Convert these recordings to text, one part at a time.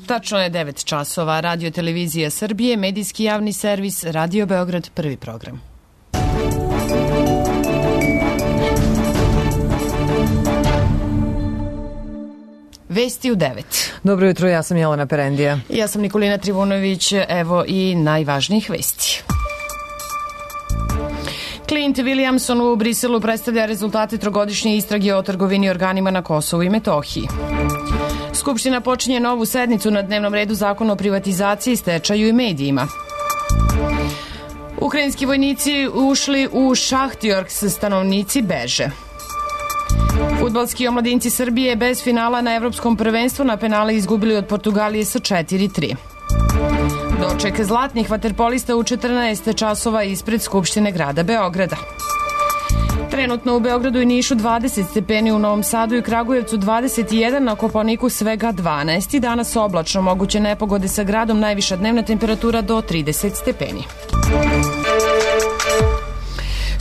Tačno je 9 časova. Radio Televizija Srbije, medijski javni servis, Radio Beograd, prvi program. Vesti u 9. Dobro jutro, ja sam Jelena Perendija. Ja sam Nikolina Trivunović, evo i najvažnijih vesti. Clint Williamson u Briselu predstavlja rezultate trogodišnje istrage o trgovini organima na Kosovu i Metohiji. Skupština počinje novu sednicu na dnevnom redu Zakona o privatizaciji, stečaju i medijima. Ukrajinski vojnici ušli u Šahtjorks, stanovnici beže. Fudbalski omladinci Srbije bez finala na Evropskom prvenstvu na penale izgubili od Portugalije sa 4-3. Doček zlatnih vaterpolista u 14 časova ispred Skupštine grada Beograda. Trenutno u Beogradu i Nišu 20 stepeni, u Novom Sadu i Kragujevcu 21, na Kopaoniku svega 12 i danas oblačno, moguće nepogode sa gradom, najviša dnevna temperatura do 30 stepeni.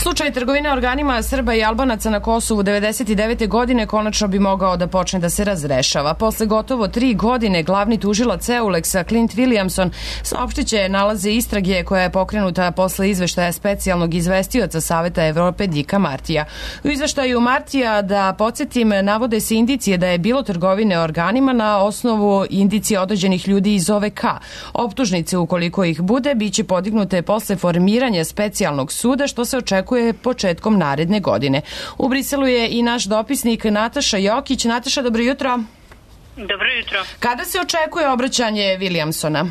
Slučaj trgovine organima Srba i Albanaca na Kosovu 1999. godine konačno bi mogao da počne da se razrešava. Posle gotovo 3 godine glavni tužilac EULEX-a Clint Williamson saopštiće nalaze istrage koja je pokrenuta posle izveštaja specijalnog izvestioca Saveta Evrope Dicka Martija. U izveštaju Martija, da podsjetim, navode se indicije da je bilo trgovine organima na osnovu indicije određenih ljudi iz OVK. Optužnice, ukoliko ih bude, biće podignute posle formiranja specijalnog suda, što se očekuje početkom naredne godine. U Briselu je i naš dopisnik Nataša Jokić. Nataša, dobro jutro. Dobro jutro. Kada se očekuje obraćanje Williamsona?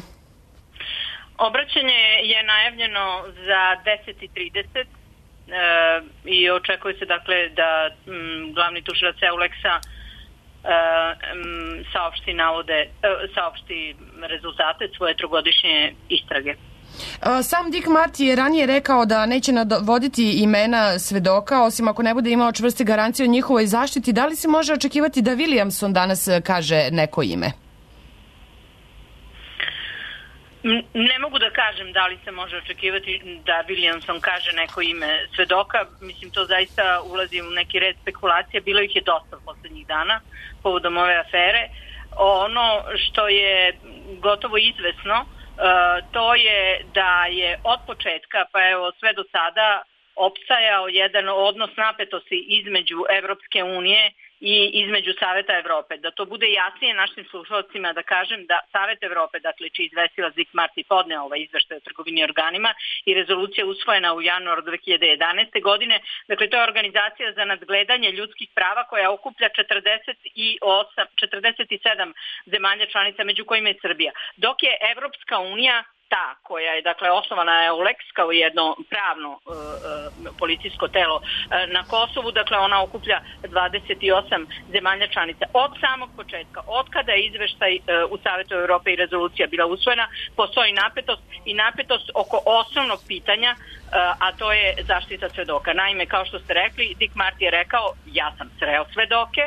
Obraćanje je najavljeno za 10:30 i očekuje se dakle da glavni tužilac EULEX-a saopšti rezultate svoje trogodišnje istrage. Sam Dick Marty je ranije rekao da neće navoditi imena svedoka, osim ako ne bude imao čvrste garancije o njihovoj zaštiti. Da li se može očekivati da Williamson danas kaže neko ime? Ne mogu da kažem da li se može očekivati da Williamson kaže neko ime svedoka. Mislim, to zaista ulazi u neki red spekulacija. Bilo ih je dosta poslednjih dana povodom ove afere. Ono što je gotovo izvesno, to je da je od početka, pa evo sve do sada, opstajao jedan odnos napetosti između Evropske unije i između Saveta Evrope. Da to bude jasnije našim slušalcima, da kažem da Savet Evrope, dakle čiji izvestilac Dick Marty podneo ovaj izveštaj o trgovini organima i rezolucija usvojena u januaru 2011. godine, dakle to je organizacija za nadgledanje ljudskih prava koja okuplja 47 zemalja članica, među kojima je Srbija. Dok je Evropska unija ta koja je dakle osnovana EULEX kao jedno pravno policijsko telo na Kosovu, dakle ona okuplja 28 zemalja članica. Od samog početka, od kada je izveštaj u Savetu Evrope i rezolucija bila usvojena, postoji napetost oko osnovnog pitanja, a to je zaštita svedoka. Naime, kao što ste rekli, Dick Marty je rekao, ja sam sreo svedoke,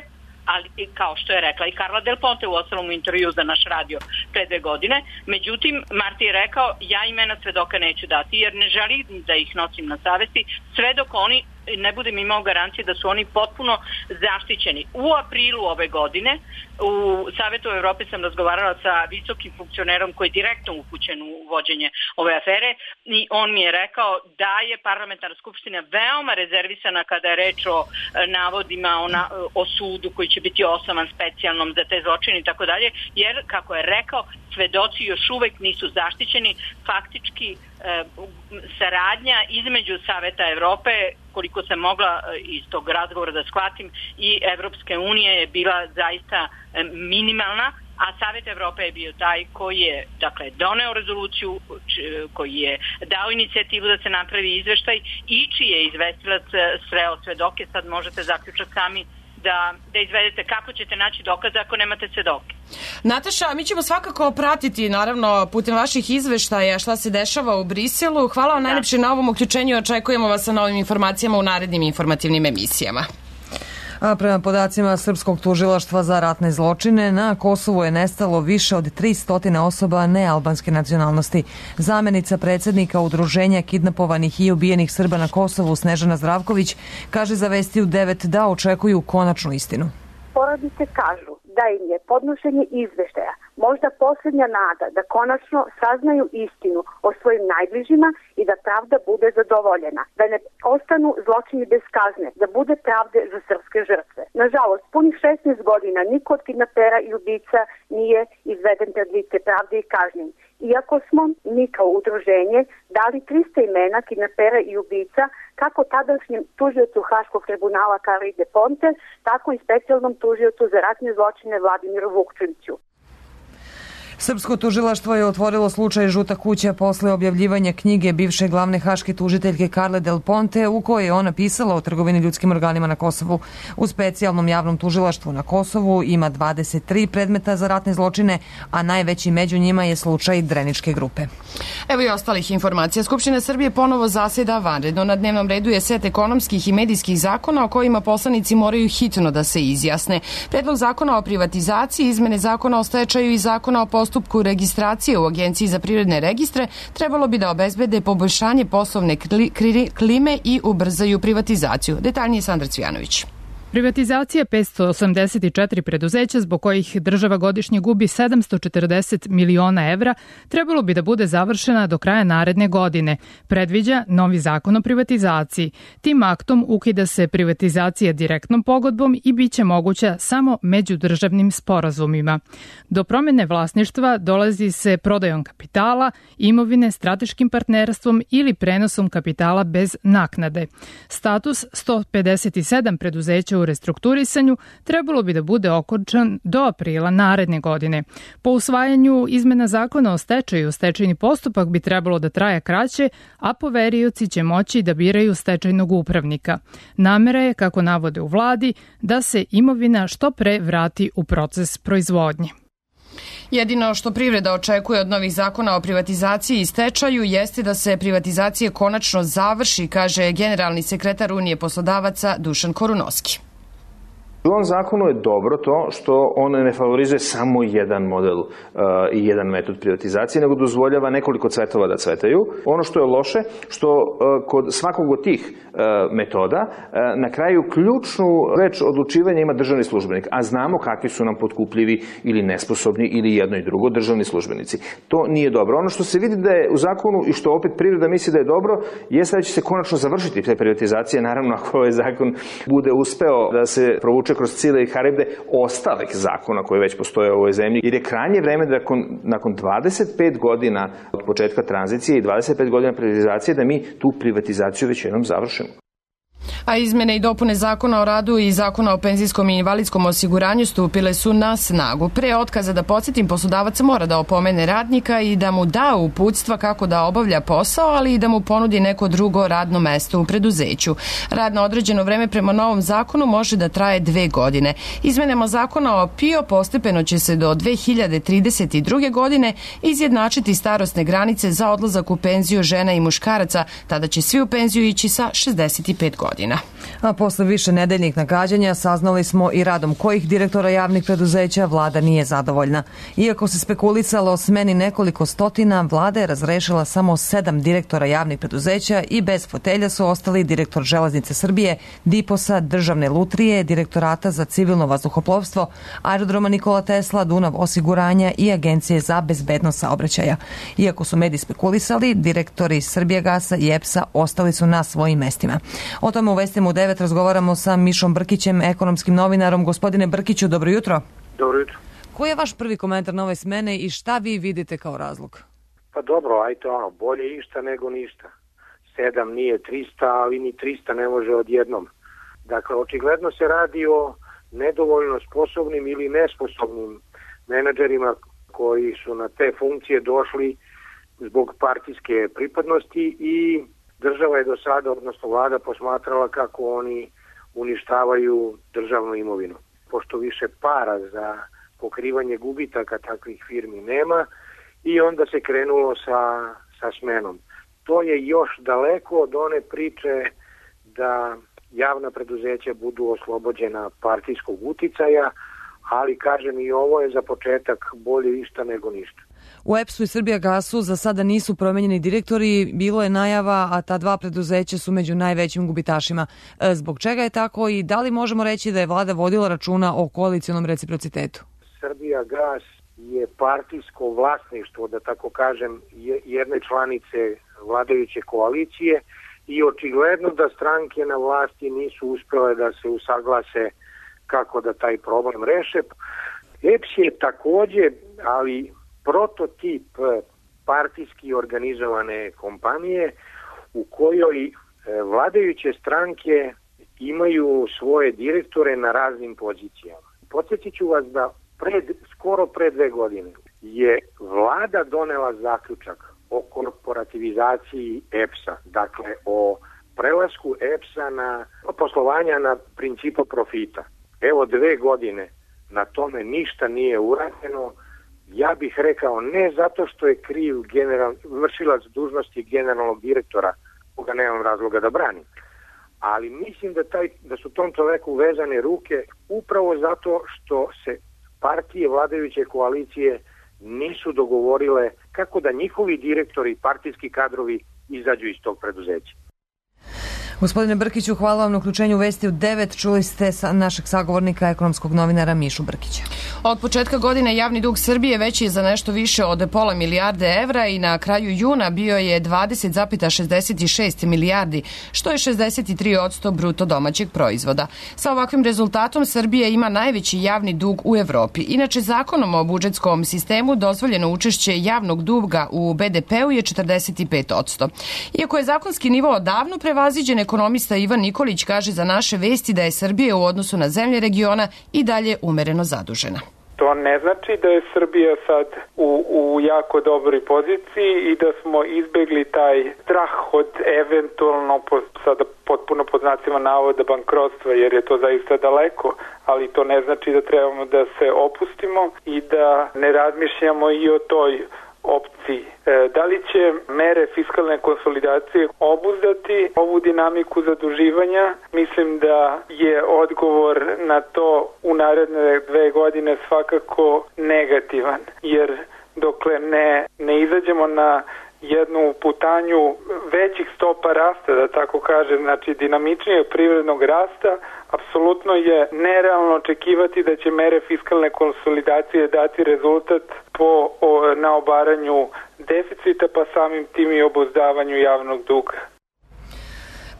ali kao što je rekla i Carla Del Ponte u ostalom intervju za naš radio pre 2 godine. Međutim, Marty je rekao, ja imena svedoka neću dati jer ne želim da ih nosim na savesti sve dok oni ne budem imao garancije da su oni potpuno zaštićeni. U aprilu ove godine u Savetu Evrope sam razgovarala sa visokim funkcionerom koji je direktno upućen u vođenje ove afere i on mi je rekao da je parlamentarna skupština veoma rezervisana kada je reč o navodima o sudu koji će biti osnovan specijalnom za te zločine i tako dalje, jer kako je rekao, svedoci još uvek nisu zaštićeni. Faktički saradnja između Saveta Evrope, koliko sam mogla iz tog razgovora da shvatim, i Evropske unije je bila zaista minimalna, a Savet Evrope je bio taj koji je dakle doneo rezoluciju, koji je dao inicijativu da se napravi izveštaj i čiji je izvestilac sreo svedoke. Sad možete zaključak sami da izvedete kako ćete naći dokaze ako nemate svedoke. Nataša, mi ćemo svakako pratiti, naravno, putem vaših izveštaja šta se dešava u Briselu. Hvala vam najlepše na ovom uključenju. Očekujemo vas sa novim informacijama u narednim informativnim emisijama. A prema podacima Srpskog tužilaštva za ratne zločine, na Kosovu je nestalo više od 300 osoba nealbanske nacionalnosti. Zamenica predsjednika Udruženja kidnapovanih i ubijenih Srba na Kosovu, Snežana Zdravković, kaže za Vesti u 9 da očekuju konačnu istinu. Porodice kažu da im je podnošenje izveštaja možda posljednja nada da konačno saznaju istinu o svojim najbližima i da pravda bude zadovoljena, da ne ostanu zločini bez kazne, da bude pravde za srpske žrtve. Nažalost, punih 16 godina niko od kidnapera i ubica nije izveden pred lice pravde i kažnjen. Iako smo mi kao udruženje dali 300 imena kidnapera i ubica kako tadašnjem tužiocu Haškog tribunala Carli Del Ponte, tako i specijalnom tužiocu za ratne zločine Vladimiru Vukčeviću. Srpsko tužilaštvo je otvorilo slučaj Žuta kuća posle objavljivanja knjige bivše glavne haške tužiteljke Carle Del Ponte u kojoj je ona pisala o trgovini ljudskim organima na Kosovu. U specijalnom javnom tužilaštvu na Kosovu ima 23 predmeta za ratne zločine, a najveći među njima je slučaj Dreničke grupe. Evo i ostalih informacija. Skupština Srbije ponovo zaseda vanredno. Na dnevnom redu je set ekonomskih i medijskih zakona o kojima poslanici moraju hitno da se izjasne. Predlog zakona o privatizaciji, izmene zakona o stečaju i zakona o postupku registracije u Agenciji za privredne registre trebalo bi da obezbede poboljšanje poslovne klime i ubrzaju privatizaciju. Detaljnije Sandra Cvijanović. Privatizacija 584 preduzeća zbog kojih država godišnje gubi 740 miliona evra trebalo bi da bude završena do kraja naredne godine, predviđa novi zakon o privatizaciji. Tim aktom ukida se privatizacija direktnom pogodbom i biće moguća samo međudržavnim sporazumima. Do promjene vlasništva dolazi se prodajom kapitala, imovine, strateškim partnerstvom ili prenosom kapitala bez naknade. Status 157 preduzeća u restrukturisanju trebalo bi da bude okončan do aprila naredne godine. Po usvajanju izmena zakona o stečaju, stečajni postupak bi trebalo da traje kraće, a poverioci će moći da biraju stečajnog upravnika. Namera je, kako navode u vladi, da se imovina što pre vrati u proces proizvodnje. Jedino što privreda očekuje od novih zakona o privatizaciji i stečaju jeste da se privatizacija konačno završi, kaže generalni sekretar Unije poslodavaca Dušan Korunovski. U ovom zakonu je dobro to što on ne favorizuje samo jedan model i jedan metod privatizacije, nego dozvoljava nekoliko cvetova da cvetaju. Ono što je loše, što kod svakog od tih metoda na kraju ključnu reč odlučivanja ima državni službenik, a znamo kakvi su nam potkupljivi ili nesposobni ili jedno i drugo državni službenici. To nije dobro. Ono što se vidi da je u zakonu i što opet privreda misli da je dobro, jeste da će se konačno završiti te privatizacije, naravno ako ovaj zakon bude uspeo da se provuče kroz Cile i Haribde ostalih zakona koji već postoje u ovoj zemlji, jer je krajnje vreme da nakon 25 godina od početka tranzicije i 25 godina privatizacije da mi tu privatizaciju već jednom završimo. A izmene i dopune zakona o radu i zakona o penzijskom i invalidskom osiguranju stupile su na snagu. Pre otkaza, da podsjetim, poslodavac mora da opomene radnika i da mu da uputstva kako da obavlja posao, ali i da mu ponudi neko drugo radno mesto u preduzeću. Rad na određeno vreme prema novom zakonu može da traje 2 godine. Izmenama zakona o PIO postepeno će se do 2032. godine izjednačiti starosne granice za odlazak u penziju žena i muškaraca. Tada će svi u penziju ići sa 65 godina. A posle više nedeljnih nagađanja saznali smo i radom kojih direktora javnih preduzeća vlada nije zadovoljna. Iako se spekulisalo o smeni nekoliko stotina, vlada je razrešila samo 7 direktora javnih preduzeća i bez fotelja su ostali direktor Železnice Srbije, Diposa, Državne lutrije, Direktorata za civilno vazduhoplovstvo, Aerodroma Nikola Tesla, Dunav osiguranja i Agencije za bezbednost saobraćaja. Iako su mediji spekulisali, direktori Srbijagasa i EPS-a ostali su na svojim mestima. O tome u Vestima u 9 razgovaramo sa Mišom Brkićem, ekonomskim novinarom. Gospodine Brkiću, dobro jutro. Dobro jutro. Koji je vaš prvi komentar na ove smene i šta vi vidite kao razlog? Pa dobro, ajde bolje išta nego ništa. 7 nije 300, ali ni 300 ne može odjednom. Dakle, očigledno se radi o nedovoljno sposobnim ili nesposobnim menadžerima koji su na te funkcije došli zbog partijske pripadnosti i država je do sada, odnosno vlada, posmatrala kako oni uništavaju državnu imovinu. Pošto više para za pokrivanje gubitaka takvih firmi nema i onda se krenulo sa smenom. To je još daleko od one priče da javna preduzeća budu oslobođena partijskog uticaja, ali kažem i ovo je za početak bolje išta nego ništa. U EPS-u i Srbijagasu za sada nisu promenjeni direktori, bilo je najava, a ta dva preduzeća su među najvećim gubitašima. Zbog čega je tako i da li možemo reći da je vlada vodila računa o koalicionom reciprocitetu? Srbijagas je partijsko vlasništvo, da tako kažem, jedne članice vladajuće koalicije i očigledno da stranke na vlasti nisu uspjele da se usaglase kako da taj problem reše. EPS je takođe, ali prototip partijski organizovane kompanije u kojoj vladajuće stranke imaju svoje direktore na raznim pozicijama. Podsjetit ću vas da skoro pre 2 godine je vlada donela zaključak o korporativizaciji EPS-a, dakle o prelasku EPS-a na poslovanja na principu profita. Evo 2 godine na tome ništa nije urađeno. Ja bih rekao ne zato što je kriv vršilac dužnosti generalnog direktora, koga nemam razloga da branim, ali mislim da su tom čoveku vezane ruke upravo zato što se partije vladajuće koalicije nisu dogovorile kako da njihovi direktori i partijski kadrovi izađu iz tog preduzeća. Gospodine Brkiću, hvala vam na uključenju Vesti u 9. Čuli ste našeg sagovornika, ekonomskog novinara Mišu Brkića. Od početka godine javni dug Srbije veći je za nešto više od pola milijarde evra i na kraju juna bio je 20,66 milijardi, što je 63% bruto domaćeg proizvoda. Sa ovakvim rezultatom Srbija ima najveći javni dug u Evropi. Inače, zakonom o budžetskom sistemu dozvoljeno učešće javnog duga u BDP-u je 45%. Iako je zakonski nivo odavno prevaziđen, ekonomista Ivan Nikolić kaže za naše vesti da je Srbija u odnosu na zemlje regiona i dalje umereno zadužena. To ne znači da je Srbija sad u jako dobroj poziciji i da smo izbegli taj strah od eventualno, sada potpuno pod znacima navoda, bankrotstva, jer je to zaista daleko, ali to ne znači da trebamo da se opustimo i da ne razmišljamo i o toj opciji. Da li će mere fiskalne konsolidacije obuzdati ovu dinamiku zaduživanja? Mislim da je odgovor na to u naredne 2 godine svakako negativan, jer dokle ne izađemo na jednu putanju većih stopa rasta, da tako kažem, znači dinamičnijeg privrednog rasta, apsolutno je nerealno očekivati da će mere fiskalne konsolidacije dati rezultat na obaranju deficita, pa samim tim i obuzdavanju javnog duga.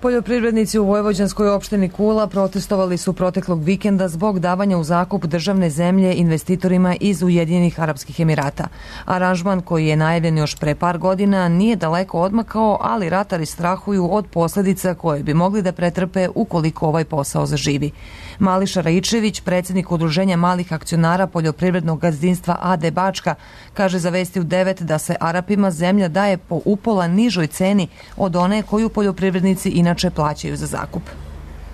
Poljoprivrednici u vojvođanskoj opštini Kula protestovali su proteklog vikenda zbog davanja u zakup državne zemlje investitorima iz Ujedinjenih Arapskih Emirata. Aranžman koji je najavljen još pre par godina nije daleko odmakao, ali ratari strahuju od posledica koje bi mogli da pretrpe ukoliko ovaj posao zaživi. Mališa Raičević, predsjednik Udruženja malih akcionara poljoprivrednog gazdinstva AD Bačka, kaže za Vesti u 9 da se Arapima zemlja daje po upola nižoj ceni od one koju poljoprivrednici inače plaćaju za zakup.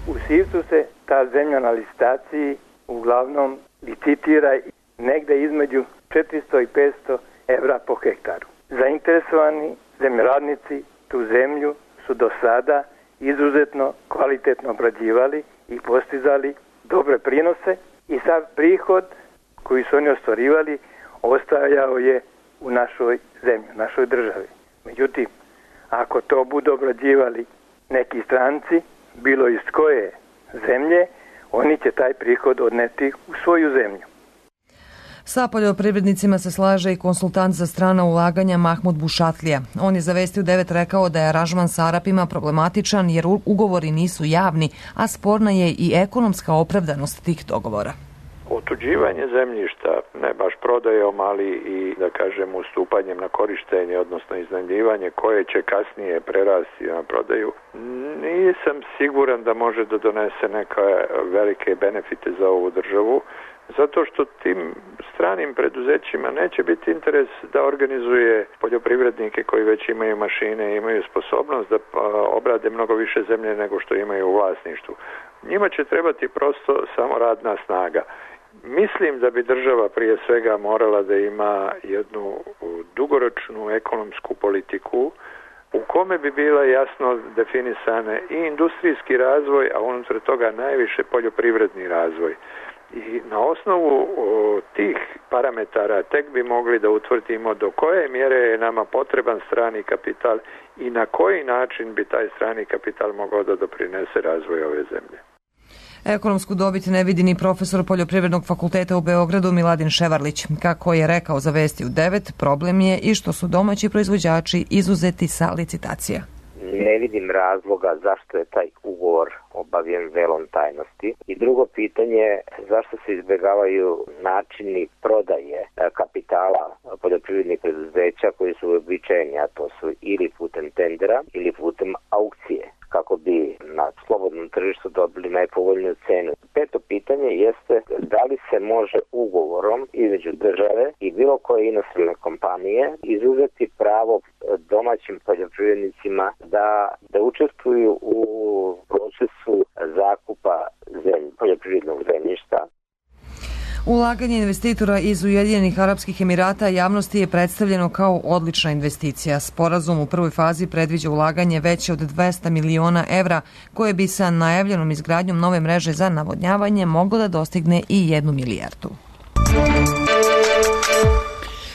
U Sivcu se ta zemlja na licitaciji uglavnom licitira negde između 400 i 500 evra po hektaru. Zainteresovani zemljoradnici tu zemlju su do sada izuzetno kvalitetno obrađivali i postizali dobre prinose i sav prihod koji su oni ostvarivali ostajao je u našoj zemlji, našoj državi. Međutim, ako to budu obrađivali neki stranci, bilo iz koje zemlje, oni će taj prihod odneti u svoju zemlju. Sa poljoprivrednicima se slaže i konsultant za strana ulaganja Mahmud Bušatlija. On je za Vesti u 9 rekao da je aranžman sa Arapima problematičan jer ugovori nisu javni, a sporna je i ekonomska opravdanost tih dogovora. Otuđivanje zemljišta, ne baš prodajom, ali i da kažem ustupanjem na korištenje, odnosno iznajmljivanje koje će kasnije prerasti na prodaju, nisam siguran da može da donese neke velike benefite za ovu državu, zato što tim stranim preduzećima neće biti interes da organizuje poljoprivrednike koji već imaju mašine i imaju sposobnost da obrade mnogo više zemlje nego što imaju u vlasništvu. Njima će trebati prosto samo radna snaga. Mislim da bi država prije svega morala da ima jednu dugoročnu ekonomsku politiku u kome bi bila jasno definisane i industrijski razvoj, a unutar toga najviše poljoprivredni razvoj. I na osnovu tih parametara tek bi mogli da utvrdimo do koje mjere je nama potreban strani kapital i na koji način bi taj strani kapital mogao da doprinese razvoju ove zemlje. Ekonomsku dobit ne vidi ni profesor Poljoprivrednog fakulteta u Beogradu Miladin Ševarlić. Kako je rekao za Vesti u 9, problem je i što su domaći proizvođači izuzeti sa licitacija. Ne vidim razloga zašto je taj ugovor obavljen velom tajnosti. I drugo pitanje, zašto se izbjegavaju načini prodaje kapitala poljoprivrednih preduzeća koji su uobičajeni, a to su ili putem tendera ili putem aukcije, kako bi na slobodnom tržištu dobili najpovoljniju cenu. Peto pitanje jeste da li se može ugovorom između države i bilo koje inostrane kompanije izuzeti pravo domaćim poljoprivrednicima da učestvuju u procesu zakupa poljoprivrednog zemljišta. Ulaganje investitora iz Ujedinjenih Arapskih Emirata javnosti je predstavljeno kao odlična investicija. Sporazum u prvoj fazi predviđa ulaganje veće od 200 miliona evra, koje bi sa najavljenom izgradnjom nove mreže za navodnjavanje moglo da dostigne i 1 milijardu.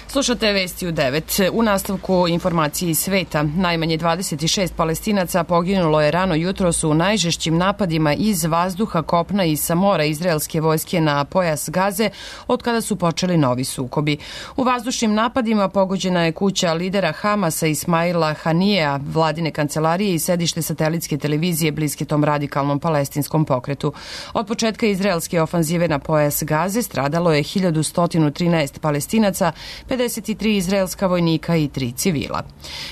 Slušate Vesti u 9. U nastavku informacije iz sveta. Najmanje 26 Palestinaca poginulo je rano jutros u najžešćim napadima iz vazduha, kopna i sa mora izraelske vojske na pojas Gaze od kada su počeli novi sukobi. U vazdušnim napadima pogođena je kuća lidera Hamasa Ismaila Hanijeja, vladine kancelarije i sedište satelitske televizije bliske tom radikalnom palestinskom pokretu. Od početka izraelske ofanzive na pojas Gaze stradalo je 1113 Palestinaca, 53 izraelska vojnika i 3 civila.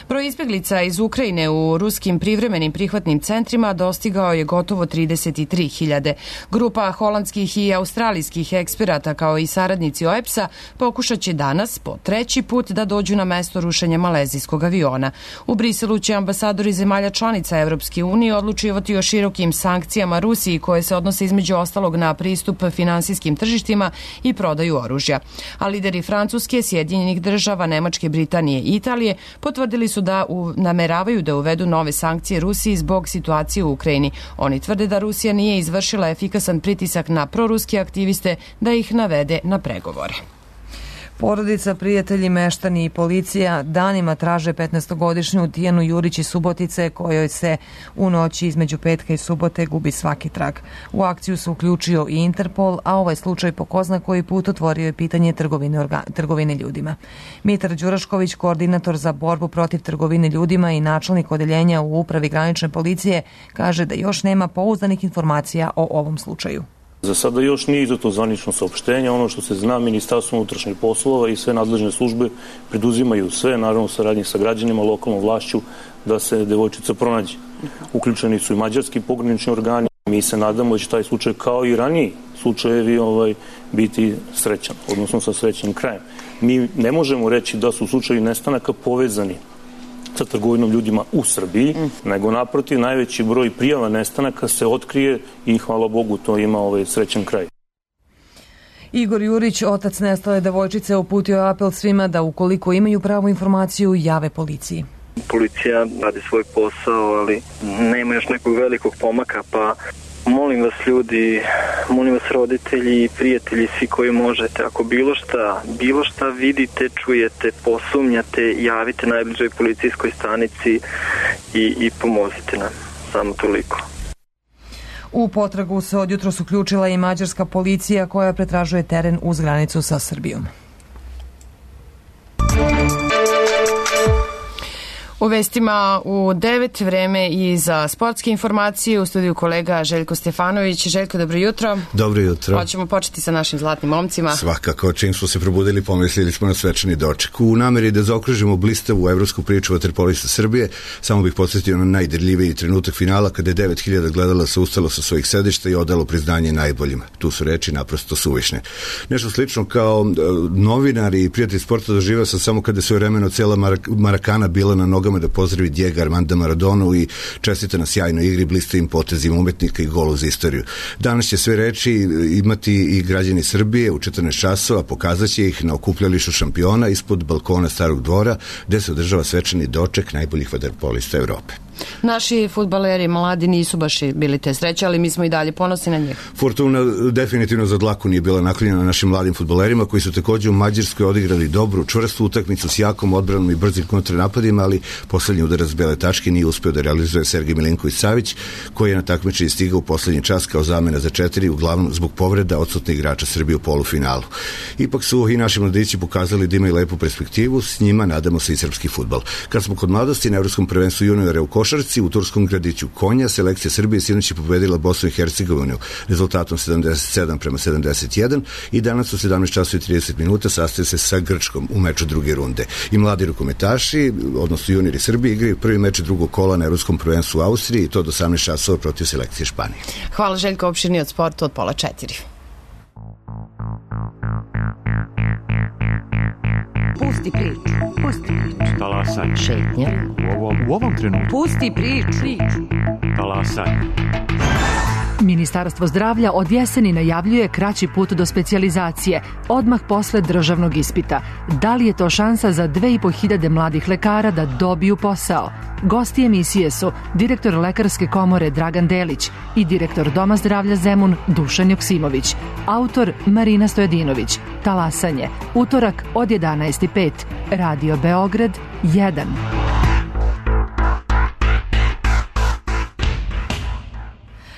Broj izbjeglica iz Ukrajine u ruskim privremenim prihvatnim centrima dostigao je gotovo 33.000. Grupa holandskih i australijskih eksperata kao i saradnici OEBS-a pokušat će danas po 3. put da dođu na mesto rušenja malezijskog aviona. U Briselu će ambasadori zemalja članica Evropske unije odlučivati o širokim sankcijama Rusiji koje se odnose između ostalog na pristup finansijskim tržištima i prodaju oružja. A lideri Francuske, Sjedinjenih država, Nemačke, Britanije i Italije potvrdili su da nameravaju da uvedu nove sankcije Rusiji zbog situacije u Ukrajini. Oni tvrde da Rusija nije izvršila efikasan pritisak na proruske aktiviste da ih navede na pregovore. Porodica, prijatelji, meštani i policija danima traže 15-godišnju Tijanu Jurić iz Subotice, kojoj se u noći između petka i subote gubi svaki trag. U akciju se uključio i Interpol, a ovaj slučaj po ko zna koji put otvorio je pitanje trgovine ljudima. Mitar Đurašković, koordinator za borbu protiv trgovine ljudima i načelnik odeljenja u upravi granične policije, kaže da još nema pouzdanih informacija o ovom slučaju. Za sada još nije izdato zvanično saopštenje. Ono što se zna, Ministarstvo unutrašnjih poslova i sve nadležne službe preduzimaju sve, naravno u saradnji sa građanima, lokalnom vlašću, da se devojčica pronađe. Uključeni su i mađarski pogranični organi. Mi se nadamo da će taj slučaj, kao i raniji slučajevi, biti srećan, odnosno sa srećnim krajem. Mi ne možemo reći da su slučajevi nestanaka povezani sa trgovinom ljudima u Srbiji, nego naprotiv, najveći broj prijava nestanaka se otkrije i hvala Bogu to ima srećan kraj. Igor Jurić, otac nestale devojčice, uputio apel svima da ukoliko imaju pravu informaciju jave policiji. Policija radi svoj posao, ali nema još nekog velikog pomaka, pa molim vas ljudi, molim vas roditelji i prijatelji, svi koji možete, ako bilo šta vidite, čujete, posumnjate, javite najbližoj policijskoj stanici i pomozite nam, samo toliko. U potragu se od jutros uključila i mađarska policija koja pretražuje teren uz granicu sa Srbijom. U vestima u 9 vreme i za sportske informacije u studiju kolega Željko Stefanović. Željko, dobro jutro. Dobro jutro. Hoćemo početi sa našim zlatnim momcima. Svakako, čim smo se probudili, pomislili smo na svečani doček. U nameri da zaokružimo blistavu evropsku priču vaterpolista Srbije, samo bih podsjetio na najdirljiviji trenutak finala kada je 9000 gledalaca ustalo sa svojih sedišta i odalo priznanje najboljima. Tu su reči naprosto suvišne. Nešto slično kao novinar i prijatelj sporta doživao sam samo kada se vremeno cijela Marakana bila na nogama da pozdravi Diego Armanda Maradonu i čestita na sjajnoj igri, blistavim potezima umetnika i golu za istoriju. Danas će sve reči imati i građani Srbije u 14 časova, pokazat će ih na okupljalištu šampiona ispod balkona Starog dvora, gde se održava svečani doček najboljih vaterpolista Evrope. Naši fudbaleri mladi nisu baš bili te sreće, ali mi smo i dalje ponosni na njih. Fortuna definitivno za dlaku nije bila naklonjena našim mladim fudbalerima koji su također u Mađarskoj odigrali dobru, čvrstu utakmicu s jakom odbranom i brzim kontranapadima, ali Poslednji udarac bele tačke nije uspeo da realizuje Sergej Milinković-Savić, koji je na takmičenje stigao u poslednji čas kao zamena za 4, uglavnom zbog povreda odsutnih igrača Srbije u polufinalu. Ipak su i naši mladići pokazali da imaju lepu perspektivu, s njima nadamo se i srpski fudbal. Kad smo kod mladosti, na Evropskom prvenstvu juniora u košarci u turskom gradiću Konja, selekcija Srbije sinoć je pobedila Bosnu i Hercegovinu rezultatom 77-71 i danas u 17:30 sastaje se sa Grčkom u meču druge runde. I mladi rukometaši, odnosno juniori Srbije, igraju prvi meč drugog kola na Evropskom prvenstvu u Austriji i to do 18 časova protiv selekcije Španije. Hvala Željko, opširni od sporta od 3:30. Pusti priču. Pusti priču. Talasaj. Šetnja. U ovom trenutku. Pusti priču. Talasaj. Ministarstvo zdravlja od jeseni najavljuje kraći put do specijalizacije, odmah posle državnog ispita. Da li je to šansa za 2500 mladih lekara da dobiju posao? Gosti emisije su direktor Lekarske komore Dragan Delić i direktor Doma zdravlja Zemun Dušan Joksimović. Autor Marina Stojadinović. Talasanje. Utorak od 11:05. Radio Beograd 1.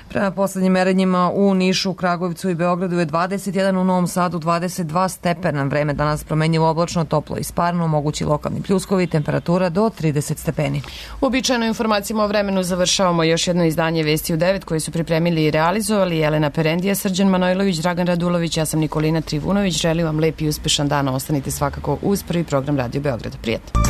Prema poslednjim merenjima u Nišu, Kragujevcu i Beogradu je 21, u Novom Sadu 22 stepena. Vreme danas promenjivo, oblačno, toplo i sparno, mogući lokalni pljuskovi, temperatura do 30 stepeni. Uobičajeno informacijama o vremenu završavamo još jedno izdanje Vesti u 9 koje su pripremili i realizovali Jelena Perendija, Srđan Manojlović, Dragan Radulović, ja sam Nikolina Trivunović. Želim vam lep i uspešan dan, ostanite svakako uz prvi program Radio Beograda. Prijatno.